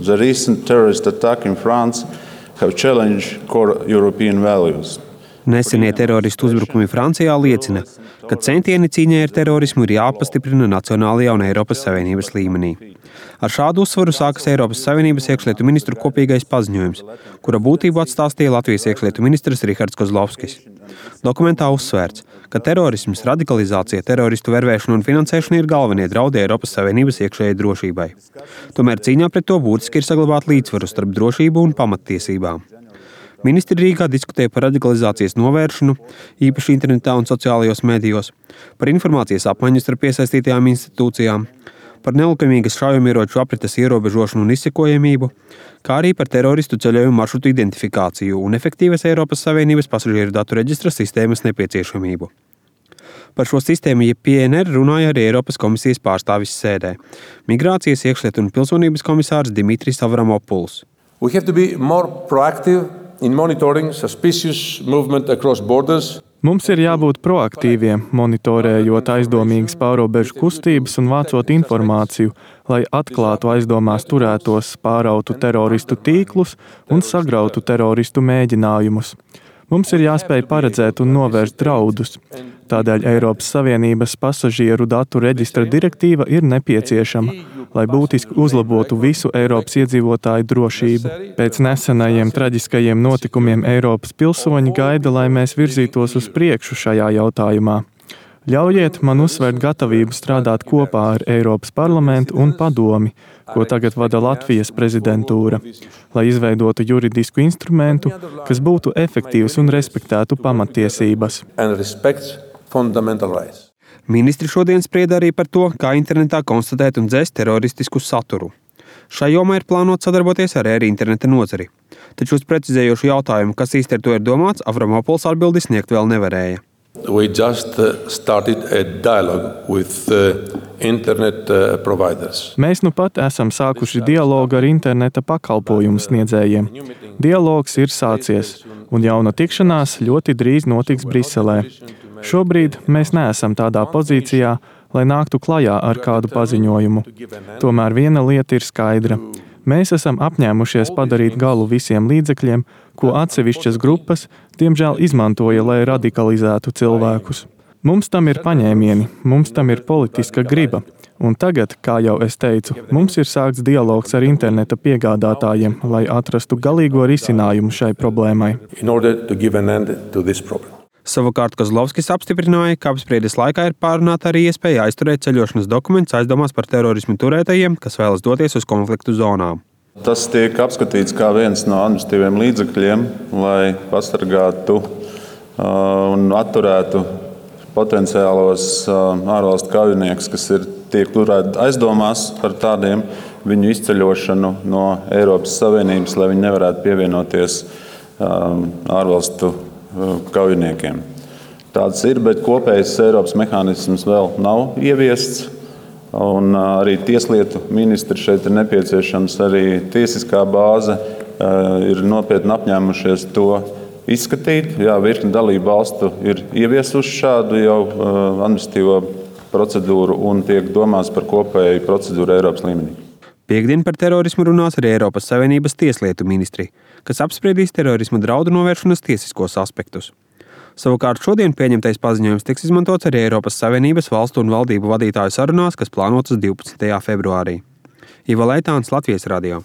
the recent terrorist attack in France have challenged core European values. Nesenie teroristu uzbrukumi Francijā liecina, ka centieni cīņai ar terorismu ir jāpastiprina nacionālajā un Eiropas Savienības līmenī. Ar šādu uzsvaru sākas Eiropas Savienības iekšlietu ministru kopīgais paziņojums, kura būtību atstāstīja Latvijas iekšlietu ministrs Rihards Kozlovskis. Dokumentā uzsvērts, ka terorisms, radikalizācija, teroristu vervēšana un finansēšana ir galvenie draudi Eiropas Savienības iekšējai drošībai. Tomēr cīņā pret to būtiski ir saglabāt līdzsvaru starp drošību un pamattiesībām. Ministri Rīgā diskutēja par radikalizācijas novēršanu, īpaši internetā un sociālajos medijos, par informācijas apmaiņu starp iesaistītajām institūcijām, par nelikumīgas šaujamieroču aprites ierobežošanu un izsekojamību, kā arī par teroristu ceļojumu maršrutu identifikāciju un efektīvas Eiropas Savienības pasažieru datu reģistra sistēmas nepieciešamību. Par šo sistēmu jeb PNR runāja arī Eiropas komisijas pārstāvis sēdē – migrācijas, iekšlietu un pilsonības komisārs Dimitris Avramopuls. We have to be more proactive in monitoring suspicious movement across borders. Mums ir jābūt proaktīviem, monitorējot aizdomīgas pārrobežu kustības un vācot informāciju, lai atklātu aizdomās turētos, pārautu teroristu tīklus un sagrautu teroristu mēģinājumus. Mums ir jāspēj paredzēt un novērst draudus. Tādēļ Eiropas Savienības pasažieru datu reģistra direktīva ir nepieciešama, lai būtiski uzlabotu visu Eiropas iedzīvotāju drošību. Pēc nesenajiem traģiskajiem notikumiem Eiropas pilsoņi gaida, lai mēs virzītos uz priekšu šajā jautājumā. Ļaujiet man uzsvērt gatavību strādāt kopā ar Eiropas parlamentu un padomi, ko tagad vada Latvijas prezidentūra, lai izveidotu juridisku instrumentu, kas būtu efektīvs un respektētu pamattiesības. Ministri šodien sprieda arī par to, kā internetā konstatēt un dzēst teroristisku saturu. Šai jomā ir plānots sadarboties arī ar interneta nozari. Taču uz precizējošu jautājumu, kas īsti ar to ir domāts, Avramopuls atbildi sniegt vēl nevarēja. We just started a dialogue with internet providers. Mēs nu pat esam sākuši dialogu ar interneta pakalpojumu sniedzējiem. Dialogs ir sācies, un jauna tikšanās ļoti drīz notiks Briselē. Šobrīd mēs neesam tādā pozīcijā, lai nāktu klajā ar kādu paziņojumu. Tomēr viena lieta ir skaidra. Mēs esam apņēmušies padarīt galu visiem līdzekļiem, ko atsevišķas grupas, diemžēl, izmantoja, lai radikalizētu cilvēkus. Mums tam ir paņēmieni, mums tam ir politiska griba. Un tagad, kā jau es teicu, mums ir sākts dialogs ar interneta piegādātājiem, lai atrastu galīgo risinājumu šai problēmai. Savukārt Kozlovskis apstiprināja, ka apspriedes laikā ir pārunāta arī iespēja aizturēt ceļošanas dokumentus aizdomās par terorismu turētajiem, kas vēlas doties uz konfliktu zonām. Tas tiek apskatīts kā viens no administratīviem līdzekļiem, lai pasargātu un atturētu potenciālos ārvalstu kaujiniekus, kas tiek turēti aizdomās par tādiem, viņu izceļošanu no Eiropas Savienības, lai viņi nevarētu pievienoties ārvalstu kaujiniekiem. Tāds ir, bet kopējs Eiropas mehānisms vēl nav ieviests. Un arī tieslietu ministri šeit ir nepieciešams, arī tiesiskā bāze ir nopietni apņēmušies to izskatīt. Jā, virkni dalību valstu ir ieviesuši šādu jau administratīvo procedūru un tiek domāts par kopēju procedūru Eiropas līmenī. Piektdien par terorismu runās arī Eiropas Savienības tieslietu ministri, kas apspriedīs terorisma draudu novēršanas tiesiskos aspektus. Savukārt šodien pieņemtais paziņojums tiks izmantots arī Eiropas Savienības valstu un valdību vadītāju sarunās, kas plānotas 12. februārī. Ivo Leitāns, Latvijas radio.